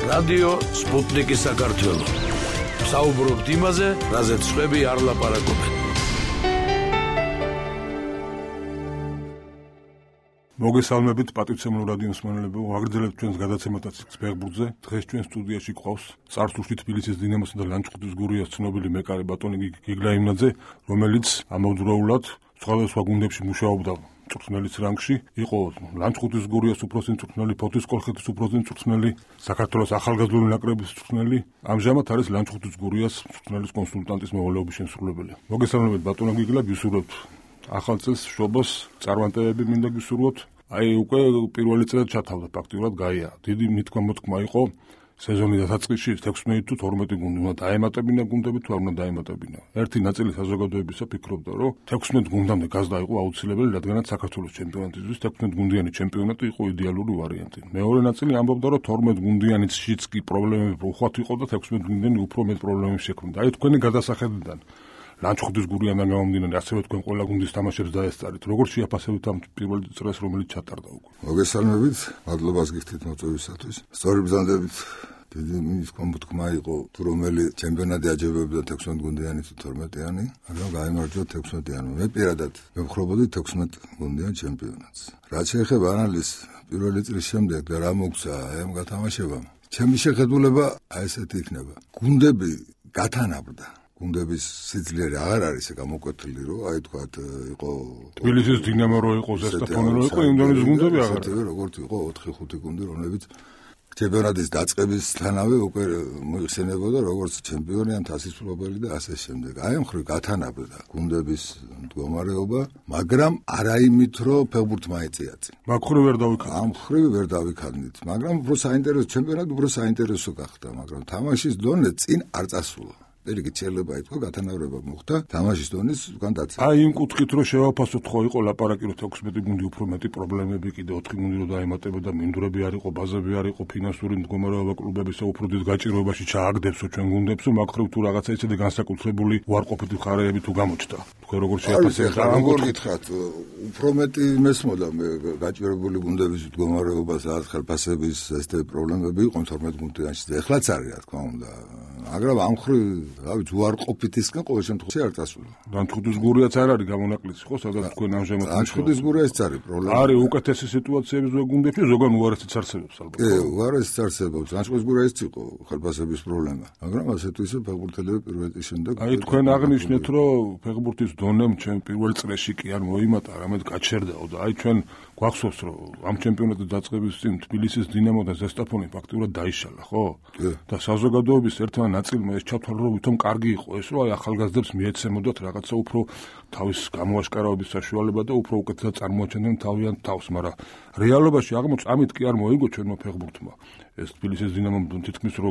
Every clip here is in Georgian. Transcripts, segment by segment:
რადიო სპუტნიკის საქართველო. საუბრობთ იმაზე, რაზეც შვები არ ლაპარაკობენ. მოგესალმებით პატივცემულო რადიო მსმენელებო, ვაგრძელებთ ჩვენს გადაცემათაც ფეხბურთზე. დღეს ჩვენ სტუდიაში გვყავს წარსულში თბილისის დინამოსა და ლანჩხუთის გურიას ცნობილი მეკარე ბატონი გიგლა იმნაძე, რომელიც ამავდროულად სხვადასხვა გუნდებში მუშაობდა მწვრთნელის რანგში, იყო ლანჩხუთის გურიას უფროსი მწვრთნელი, ფოთის კოლხეთის უფროსი მწვრთნელი, საქართველოს ახალგაზრდული ნაკრების მწვრთნელი, ამჟამად არის ლანჩხუთის გურიას მწვრთნელის კონსულტანტის მოვალეობის შემსრულებელი. მოგესალმებით ბატონო გიგლა, ვისურვებთ ახალ წელს შობას, წარმატებები მინდა გისურვოთ. აი უკვე პირველი წელი ჩათავდა ფაქტიურად გაია. დიდი მითქმა-მოთქმა იყო სეზონის დასაწყისში 16 თუ 12 გუნდი უნდა დაემატებინა გუნდები თუ არ უნდა დაემატებინა. ერთი ნაწილი საზოგადოებისა ფიქრობდა, რომ 16 გუნდამდე გაზრდა იყო აუცილებელი, რადგანაც საქართველოს ჩემპიონატისთვის 16 გუნდიანი ჩემპიონატი იყო იდეალური ვარიანტი. მეორე ნაწილი ამბობდა, რომ 12 გუნდიანიც კი პრობლემები უხვად იყო და 16 გუნდიანი უფრო მეტ პრობლემებს შექმნიდა. აი თქვენი გადასახედიდან ლანჩხუთის გურიანდან გამომდინარე, ასევე თქვენ ყველა გუნდის თამაშებს დაესწარით. როგორ შეაფასებთ ამ პირველ წრეს, რომელიც ჩატარდა უკვე? მოგესალმებით, მადლობას გიხდით მოწვევისათვის. სწორი ბრძანდებით, დიდი მითქმა-მოთქმა იყო, თუ რომელი ჩემპიონატი აჯობებდა 16 გუნდიანი თუ 12-იანი, მაგრამ გაიმარჯვა 16-იანი. მე პირადად მევხრობოდი 16 გუნდიან ჩემპიონატს. რაც შეეხება ანალიზს პირველი წრის შემდეგ და რა მოგცა ამ გათამაშებამ, ჩემი შეხედულება აი ესეთი იქნება. გუნდები გათანაბრდა. გუნდების სიძლიერე აღარ არის გამოკვეთილი, რომ აი თქვათ იყო თბილისის დინამო რო იყო, ზესტაფონი რო იყო, იმდენის გუნდები აღარ არის. როგორც იყო 4-5 გუნდი, რომლებიც ჩემპიონატის დაწყებისთანავე უკვე მოიხსენებოდა როგორც ჩემპიონი ან თასის მფლობელი და ასე შემდეგ. აი ამ ხრივ გათანაბრდა გუნდების მდგომარეობა, მაგრამ არა იმით, რომ ფეხბურთმა ეწიათ. მაგ ხრივ ვერ დავიქადეთ. ამ ხრივ ვერ დავიქადეთ, მაგრამ უფრო საინტერესო ჩემპიონატი უფრო საინტერესო გახდა, მაგრამ თამაშის დონე წინ არ წასულა. ერიგით შეიძლება ითქვა გათანაბრება მოხდა თამაშის დონის უკან დაცვა. აი იმ კუთხით რომ შევაფასოთ, ხო იყო ლაპარაკი რომ 16 გუნდი უფრო მეტი პრობლემები, კიდე 4 გუნდი რომ დაემატებოდა, მინდვრები არ იყო, ბაზები არ იყო, ფინანსური მდგომარეობა კლუბებისა უფრო დიდ გაჭირვებაში ჩააგდებსო ჩვენ გუნდებს, მაგ ხრივ თუ რაღაცა ისეთი განსაკუთრებული უარყოფითი მხარეები თუ გამოჩნდა. თქვენ როგორ შეაფასებთ? როგორ გითხრათ, უფრო მეტი მესმოდა მე გაჭირვებული გუნდების მდგომარეობას, რაღაც ხელფასების ესეთი პრობლემები იყო 12 გუნდიანში. ეხლაც არის, რა თქმა უნდა, მაგრამ ამ ხრივ რავით, უარყოფითისგან ყოველ შემთხვევაში არ წასულა. ლანჩხუთის გურიაც არ არის გამონაკლისი, ხო, სადაც თქვენ ამჟამად ლანჩხუთის გურიაც არის პრობლემა. არის უკეთესი სიტუაციები ზოგ გუნდებში, ზოგან უარესიც არსებობს ალბათ. კი, უარესიც არსებობს. ლანჩხუთის გურიაც იყო ხელფასების პრობლემა, მაგრამ ასე თუ ისე ფეხბურთელები პირველ წრის შემდეგ. აი თქვენ აღნიშნეთ, რომ ფეხბურთის დონემ ჩვენ პირველ წრეში კი არ მოიმატა, რამედ გაჩერდაო და აი ჩვენ გვახსოვს, რომ ამ ჩემპიონატის დაწყების წინ თბილისის დინამო და ზესტაფონი ფაქტიურად დაიშალა, ხო? და საზოგადოების ერთმა ნაწილმა ეს ჩათვალა, რომ ვითომ კარგი იყო ეს, რომ აი ახალგაზრდებს მიეცემოდათ რაღაცა უფრო თავის გამოაშკარავების საშუალება და უფრო უკეთესად წარმოაჩენდნენ თავიანთ თავს, მაგრამ რეალობაში აღმოჩნდა, ამით კი არ მოიგო ჩვენმა ფეხბურთმა. ეს თბილისის დინამომ თითქმის რო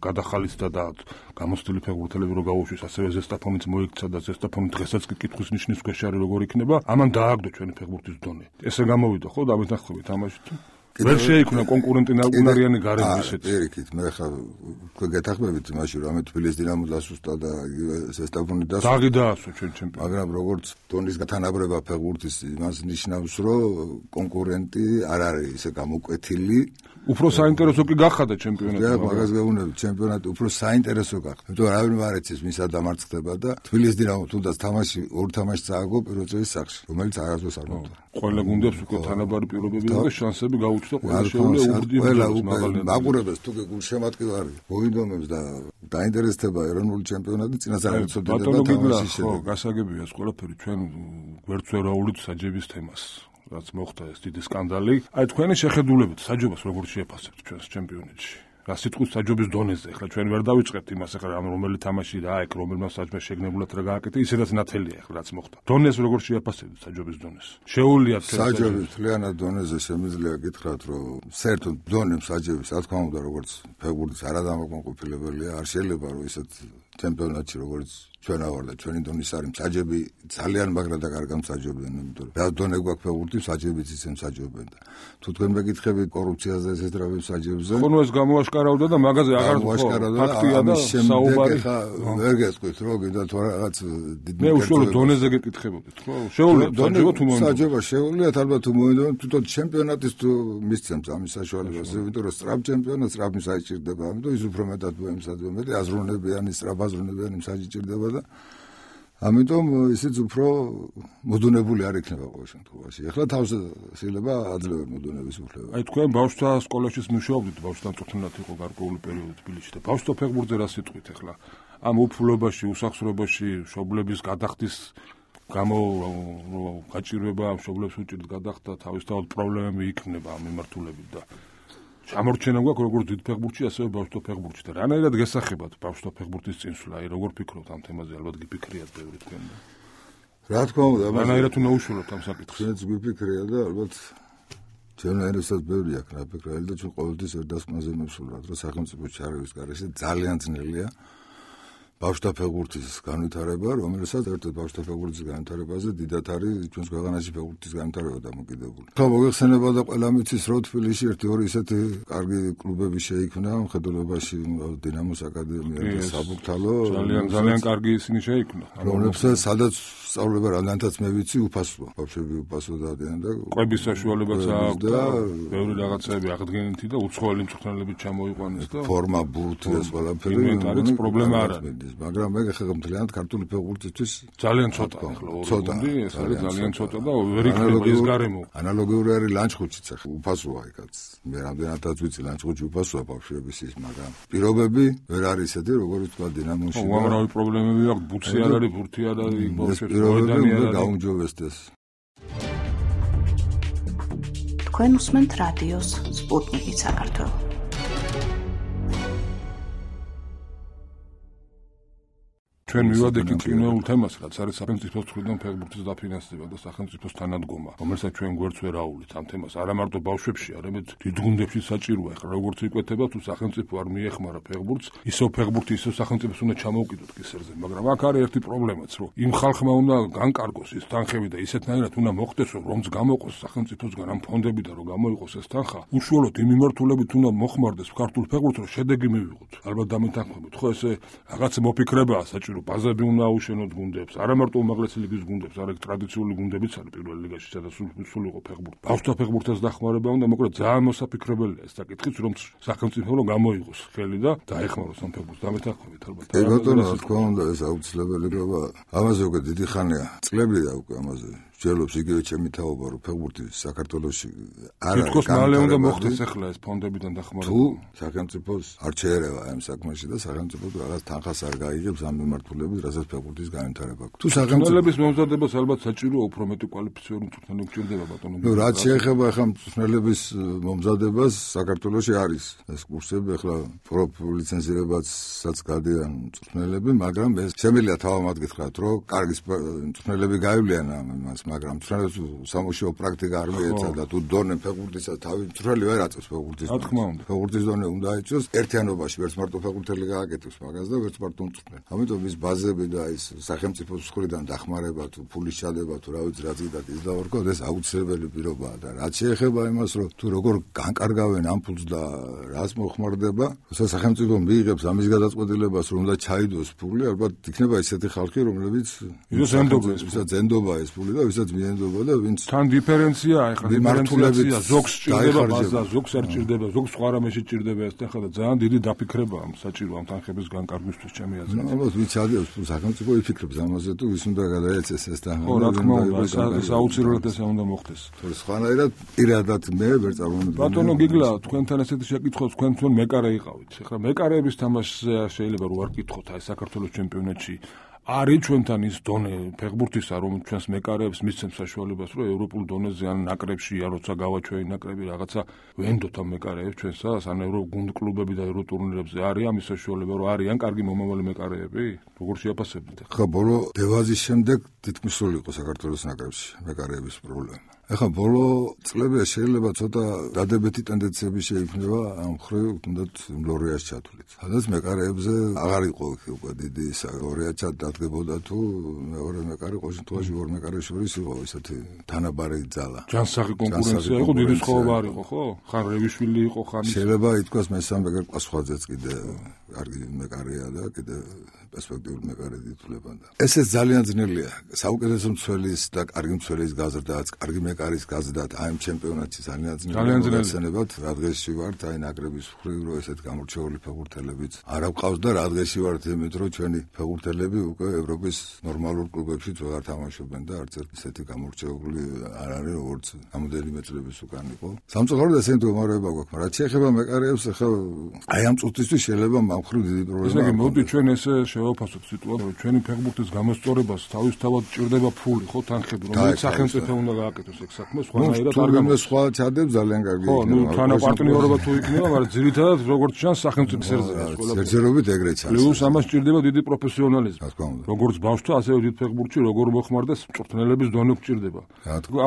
გადახალისდა და გამოცდილი ფეხბურთელები რო გაუშვეს, ასევე ზესტაფონიც მოიქცა და ზესტაფონი დღესაც კი კითხვის ნიშნის ქვეშ არის როგორ იქნება, ამან დააგდო ჩვენი ფეხბურთის დონე. ესე გამოვიდა ხო და ამეთანხმებით თამაშით. ვერ შეიქმნა კონკურენტი უნარიანი გარემო ისეთი. პირიქით, მე ხა გეთახმებით იმაში, რომ ამე თბილისის დინამო დასუსტა და ზესტაფონი დასუსტა. დაღი დაასვა ჩვენ ჩემპიონატს. მაგრამ როგორც დონის გათანაბრება ფეხბურთის იმას ნიშნავს, რომ კონკურენტი არ არის ისე გამოკვეთილი. უფრო საინტერესო კი გახადა ჩემპიონატი. და მაგას გეუბნებით, ჩემპიონატი უფრო საინტერესო გახდა. იმიტომ რომ არავინ არ ეცის ვინც დამარცხდება და თბილისის დინამო თუნდაც თამაში ორ თამაშს წააგო პირველ წრის სახლში, რომელიც არასდროს არ მოხდა. ყველა გუნდებს უკვე თანაბარი პირობები და შანსები გაუჩნდა, ყველა შეუძლია უგრძნობა. მაყურებელს თუ გულშემატკივარი მოინდომებს და დაინტერესდება ეროვნული ჩემპიონატი, წინასწარ ეცოდება თამაშის შედეგი. გასაგებია ეს ყველაფერი, ჩვენ ვერც ვერ აუვლით საჯების თემას. რაც მოხდა ეს დიდი სკანდალი. აი თქვენი შეხედულებით საჯობას როგორ შეაფასებთ ჩვენს ჩემპიონატში? რა სიტყვის საჯობის დონეზე, ახლა ჩვენ ვერ დავიწყებთ იმას, ახლა რომელი თამაში და აი რომელმა საჯმა შეგნებულად რა გააკეთა, ისედაც ნათელია ახლა რაც მოხდა. დონეს როგორ შეაფასებთ საჯობის დონეს? შეუულიათ საჯობის მთლიანად დონეზე შემიძლია გითხრათ, რომ საერთოდ დონემ საჯების, რა თქმა უნდა, როგორც ფეხბურთის არადამაკმაყოფილებელია, არ შეიძლება რომ ისეთ ჩემპიონატში როგორც ჩვენა ვარ და ჩვენი დონის არის მსაჯები ძალიან მაგრა და კარგა მსაჯობენ, იმიტომ რომ რა დონე გვაქვს ფეხბურთი, მსაჯებიც ისე მსაჯობენ და თუ თქვენ მეკითხებით კორუფციაზე ესეთ რა მსაჯებზე. ხონო ეს გამოაშკარავდა და მაგაზე აღარ ფაქტია და საუბარი ვერ გეტყვით რომ კიდე თუ რაღაც მე უშუალოდ დონეზე გეკითხებოდით ხო? შეუძლიათ საჯობა თუ მოინდომთ. საჯობა შეუძლიათ ალბათ თუ მოინდომთ, თვითონ ჩემპიონატის თუ მისცემს ამის საშუალებას, იმიტომ რომ სწრაფ ჩემპიონატს სწრაფი მსაჯი ჭირდება, ამიტომ ის უფრო მეტად მოემსაჯება, მეტი აზროვნებიანი, სწრაფაზროვნებიანი მსაჯი ჭირდება და ამიტომ ისიც უფრო მოდუნებული არ იქნება ყოველ შემთხვევაში. ეხლა თავს შეიძლება აძლევენ მოდუნების უფლება. აი თქვენ ბავშვთა სკოლაშიც მუშაობდით, ბავშვთა მწვრთნელად იყო გარკვეული პერიოდი თბილისში და ბავშვთა ფეხბურთზე რა სიტყვით ეხლა? ამ უფლობაში, უსახსრობაში, მშობლების გადახდის გამო გაჭირვება, მშობლებს უჭირთ გადახდა, თავისთავად პრობლემები იქნება ამ მიმართულებით და ჩამორჩენა გვაქვს როგორც დიდ ფეხბურთში, ასევე ბავშვთა ფეხბურთში და რანაირად გესახებათ ბავშვთა ფეხბურთის წინსვლა, აი როგორ ფიქრობთ ამ თემაზე, ალბათ გიფიქრიათ ბევრი თქვენ და რა თქმა უნდა, რანაირად უნდა უშუალოდ ამ საკითხს. ჩვენც გვიფიქრია და ალბათ ჩვენაირადაც ბევრი აქვს რა ფიქრალი და ჩვენ ყოველთვის ერთდასკვნაზე მივსულვართ, რომ სახელმწიფოს ჩარევის გარეშე ძალიან ძნელია ბავშვთა ფეხბურთის განვითარება, რომელსაც ერთად ბავშვთა ფეხბურთის განვითარებაზე დიდად არის ჩვენს ქვეყანაში ფეხბურთის განვითარება დამოკიდებული. ხო, მოგეხსენება და ყველა მიცის, რომ თბილისში ერთი-ორი ისეთი კარგი კლუბები შეიქმნა, მხედველობაში დინამოს აკადემია და საბურთალო. ძალიან კარგი ისინი შეიქმნა. რომლებსაც სადაც სწავლება რამდენადაც მე ვიცი, უფასოა. ბავშვები უფასო დადიან და ყვების საშუალებაც აქვს და ბევრი რაღაცები აღდგენითი და უცხოელი მწვრთნელები ჩამოიყვანეს და ფორმა, ბურთი ეს ყველაფერი ინვენტარიც პრობლემა არ არის. მაგრამ მე ხება მთლიანად ქართული ფეხბურთისთვის ძალიან ცოტა ახლა ორი ეს არის ძალიან ცოტა და ვერ იქნება ეს გარემო. ანალოგიური არის ლანჩხუთშიც ახლა უფასოა იქაც. მე რამდენადაც ვიცი ლანჩხუთში უფასოა ბავშვების ის, მაგრამ პირობები ვერ არის ისეთი, როგორც თქვა დინამოში. უამრავი პრობლემები აქვს, ბუცი არ არის, ბურთი არ არის, ბავშვებს პირობები უნდა გაუმჯობესდეს. თქვენ უსმენთ რადიოს სპუტნიკი საქართველოს. ჩვენ მივადექით კინოულ თემას, რაც არის სახელმწიფოს მხრიდან ფეხბურთის დაფინანსება და სახელმწიფოს თანადგომა, რომელსაც ჩვენ გვერდს ვერ აუვლით ამ თემას. არა მარტო ბავშვებში, არამედ დიდ გუნდებში საჭიროა. ახლა როგორც იკვეთება, თუ სახელმწიფო არ მიეხმარა ფეხბურთს, ისევ ფეხბურთი ისევ სახელმწიფოს უნდა ჩამოუკიდოთ კისერზე. მაგრამ აქ არის ერთი პრობლემაც, რომ იმ ხალხმა უნდა განკარგოს ის თანხები და ისეთნაირად უნდა მოხდეს, რომც გამოყოს სახელმწიფოსგან ამ ფონდებიდან, რომ გამოიყოს ეს თანხა. უშუალოდ იმ მიმართულებით უნდა მოხმარდეს ქართულ ფეხბურთს, რომ შედეგი მივიღოთ. ალბათ დამეთანხმებით. ხო, ესე რაღაც მოფიქრებაა საჭირო. ბაზები უნდა აუშენოთ გუნდებს, არა მარტო უმაღლესი ლიგის გუნდებს, არამედ ტრადიციული გუნდებიც არის პირველ ლიგაში, სადაც სულ იყო ფეხბურთი. ბავშვთა ფეხბურთის დახმარება უნდა, მოკლედ ძალიან მოსაფიქრებელია ეს საკითხიც, რომ სახელმწიფო გამოიღოს ხელი და დაეხმაროს ამ ფეხბურთს. დამეთანხმებით ალბათ. ეგ ბატონო, რა თქმა უნდა, ეს აუცილებელი როა. ამაზე უკვე დიდი ხანია, წლებია უკვე ამაზე. ჯელობს იგივე ჩემი თაობა, რომ ფეხბურთი საქართველოში არ არის. თითქოს მალე უნდა მოხდეს ახლა ეს ფონდებიდან დახმარება. თუ სახელმწიფოს არ შეერევა ამ საქმეში და სახელმწიფო რაღაც თანხას არ გაიგებს ამ მიმართულებით, რასაც ფეხბურთის განვითარება. თუ სახელმწიფოს მომზადებას ალბათ საჭიროა უფრო მეტი კვალიფიციური მწვრთნელი გჭირდება ბატონო. ნუ რაც შეეხება ახლა მწვრთნელების მომზადებას, საქართველოში არის ეს კურსები, ახლა პროფლიცენზირებაცაც გადიან მწვრთნელები, მაგრამ ეს შემიძლია თავად გითხრათ, რომ კარგი მწვრთნელები გაივლიან ამას. მაგრამ მწვრთნელებს სამუშაო პრაქტიკა არ მიეცა და თუ დონე ფეხბურთისა თავი მწვრთნელი ვერ აწევს ფეხბურთის. რა თქმა უნდა. ფეხბურთის დონე უნდა აიწოს ერთიანობაში, ვერც მარტო ფეხბურთელი გააკეთებს მაგას და ვერც მარტო მწვრთნელი. ამიტომ ის ბაზები და ის სახელმწიფოს მხრიდან დახმარება თუ ფულის ჩადება თუ რა ვიცი რა ზედათ ის დავარქოთ, ეს აუცილებელი პირობაა და რაც შეეხება იმას, რომ თუ როგორ განკარგავენ ამ ფულს და რას მოხმარდება, როცა სახელმწიფო მიიღებს ამის გადაწყვეტილებას, რომ უნდა ჩაიდოს ფული, ალბათ იქნება ისეთი ხალხი, რომლებიც ზენდობა ეს ფული და ვისაც მიენდობა და ვინც თან დიფერენციაა, ახლა დიფერენციაცია ზოგს ჭირდება ბაზა, ზოგს არ ჭირდება, ზოგს სხვა რამეში ჭირდება ეს ახლა და ძალიან დიდი დაფიქრებაა საჭირო ამ თანხების განკარგვისთვის ჩემი აზრით. ალბათ ვინც ადევს სახელმწიფო იფიქრებს ამაზე თუ ვის უნდა გადაეცეს ეს თანხა. ხო, რა თქმა უნდა, ეს აუცილებლად ეს უნდა მოხდეს. თორე სხვანაირად პირადად მე ვერ წარმოვიდგინე. ბატონო გიგლა, თქვენთან ესეთი შეკითხვა თქვენ მეკარე იყავით. ახლა მეკარეების თამაშზე შეიძლება რო არ კითხოთ აი საქართველოს ჩემპიონატში არის ჩვენთან ის დონე ფეხბურთისა, რომ ჩვენს მეკარეებს მისცემს საშუალებას, რომ ევროპულ დონეზე ან ნაკრებში, ან როცა გავაჩვენი ნაკრები რაღაცა ვენდოთ ამ მეკარეებს ჩვენსას, ან ევროგუნდ კლუბები და ევრო ტურნირებზე არის ამის საშუალება, რომ არიან კარგი მომავალი მეკარეები? როგორ შეაფასებთ? ხო, ბოლო დევაზის შემდეგ თითქმის სულ იყო საქართველოს ნაკრებში მეკარეების პრობლემა. ეხლა ბოლო წლებში შეიძლება ცოტა დადებითი ტენდენციები შეიქმნება ამ ხრივ თუნდაც ლორიას ჩათვლით. სადაც მეკარეებზე აღარ იყო უკვე დიდი ლორია ჩადგებოდა თუ მეორე მეკარე ყოველ შემთხვევაში ორ მეკარეს შორის იყო ისეთი თანაბარი ძალა. ჯანსაღი კონკურენცია იყო, დიდი სხვაობა არ იყო, ხო? ხან რევიშვილი იყო, ხან შეიძლება ითქვას მესამე მეკარე პასუხაძეც კიდე კარგი მეკარეა და კიდე პერსპექტიული მეკარე ითვლებოდა. ესეც ძალიან ძნელია. საუკეთესო მცველის და კარგი მცველის გაზრდაც, კარგი მეკარის გაზრდაც აი ამ ჩემპიონატში ძალიან ძნელია. ცენებად რა დღეში ვართ აი ნაკრების მხრივ რომ ესეთ გამორჩეული ფეხბურთელებიც არ აქვს და რა დღეში ვართ იმით რომ ჩვენი ფეხბურთელები უკვე ევროპის ნორმალურ კლუბებშიც ვეღარ თამაშობენ და არც ერთ ისეთი გამორჩეული არ არის როგორც ამოდენიმე წლების უკან იყო. სამწუხაროდ ესეთი მდგომარეობა გვაქვს, მაგრამ რაც შეეხება მეკარეებს ახლა აი ამ წუთისთვის შეიძლება ამ მხრივ დიდი პრობლემა. ესე იგი მოდი ჩვენ ესე შევაფასოთ სიტუაცია, რომ ჩვენი ფეხბურთის გამოსწორებას თავისთავად ჭირდება ფული, ხო, თანხები, რომელიც სახელმწიფო უნდა გააკეთოს ეგ საქმე, სხვანაირად არ გამოდის. სხვა ჩადებს ძალიან კარგი იქნება. ხო, ნუ თანაპარტნიორობა თუ იქნება, მაგრამ ძირითადად როგორც ჩანს სახელმწიფოს ერთზეა ყველა. ერთზერობით ეგრეც არის. პლუს ამას ჭირდება დიდი პროფესიონალიზმი. რა თქმა უნდა. როგორც ბავშვთა, ასევე დიდ ფეხბურთში როგორ მოხმარდეს მწვრთნელების დონე გჭირდება.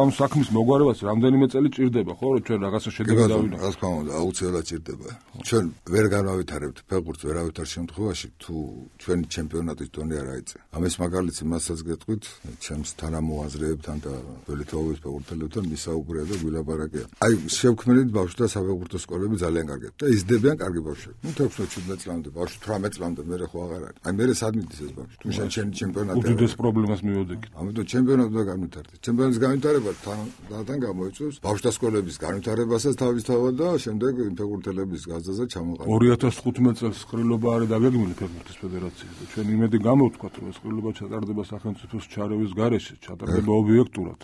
ამ საქმის მოგვარებას რამდენიმე წელი ჭირდება, ხო, რომ ჩვენ რაღაცა შედეგი დავინახოთ. რა თქმა უნდა, აუცილებლად ჭირდება. ჩვენ ვერ განავითარებთ ფეხბურთს ვერავითარ შემთხვევაში, თუ ჩვენი ჩემპიონატის დონე არ აიწე. ამის მაგალითი მასაც გეტყვით, ჩემს თანამოაზრეებთან და ველითაობის ფეხბურთელებთან მისაუბრეა და გვილაპარაკია. აი, შევქმნით ბავშვთა საფეხბურთო სკოლები ძალიან კარგია და იზრდებიან კარგი ბავშვები. ნუ 16-17 წლამდე, ბავშვი 18 წლამდე მერე ხო აღარ არის. აი, მერე სად მიდის ეს ბავშვი? თუ შენ ჩემი ჩემპიონატი უდიდეს პრობლემას მივოდექით. ამიტომ ჩემპიონატი უნდა განვითარდეს. ჩემპიონატის განვითარება თან გამოიწვევს ბავშვთა სკოლების განვითარებასაც თავისთავად და შემდეგ ფეხბურთელების გაზრდაზე ჩამოყალიბება. 2015 წელს ყრილობა არის დაგეგმილი ფეხბურთის ფედერაციის და ჩვენ იმედი გამოვთქვათ, რომ ეს ყრილობა ჩატარდება სახელმწიფოს ჩარევის გარეშე, ჩატარდება ობიექტურად.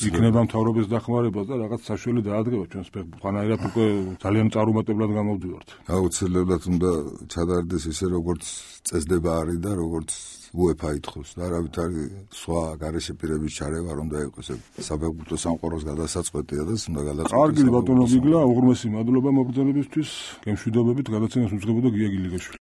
იქნება მთავრობის დახმარება და რაღაც საშველი დაადგება ჩვენს ფეხბურთს. ხანაირად უკვე ძალიან წარუმატებლად გამოვდივართ. აუცილებლად უნდა ჩატარდეს ისე, როგორც წესდება არის და როგორც UEFA ითხოვს და არავითარი სხვა გარეშე პირების ჩარევა რომ დაიყოს საფეხბურთო სამყაროს გადასაწყვეტია და უნდა გადაწყვეტოს. კარგი ბატონო გიგლა, უღრმესი მადლობა მოგზაურობისთვის. გემშვიდობებით გადაცემას უძღვებოდა გია გილიგაშვილი.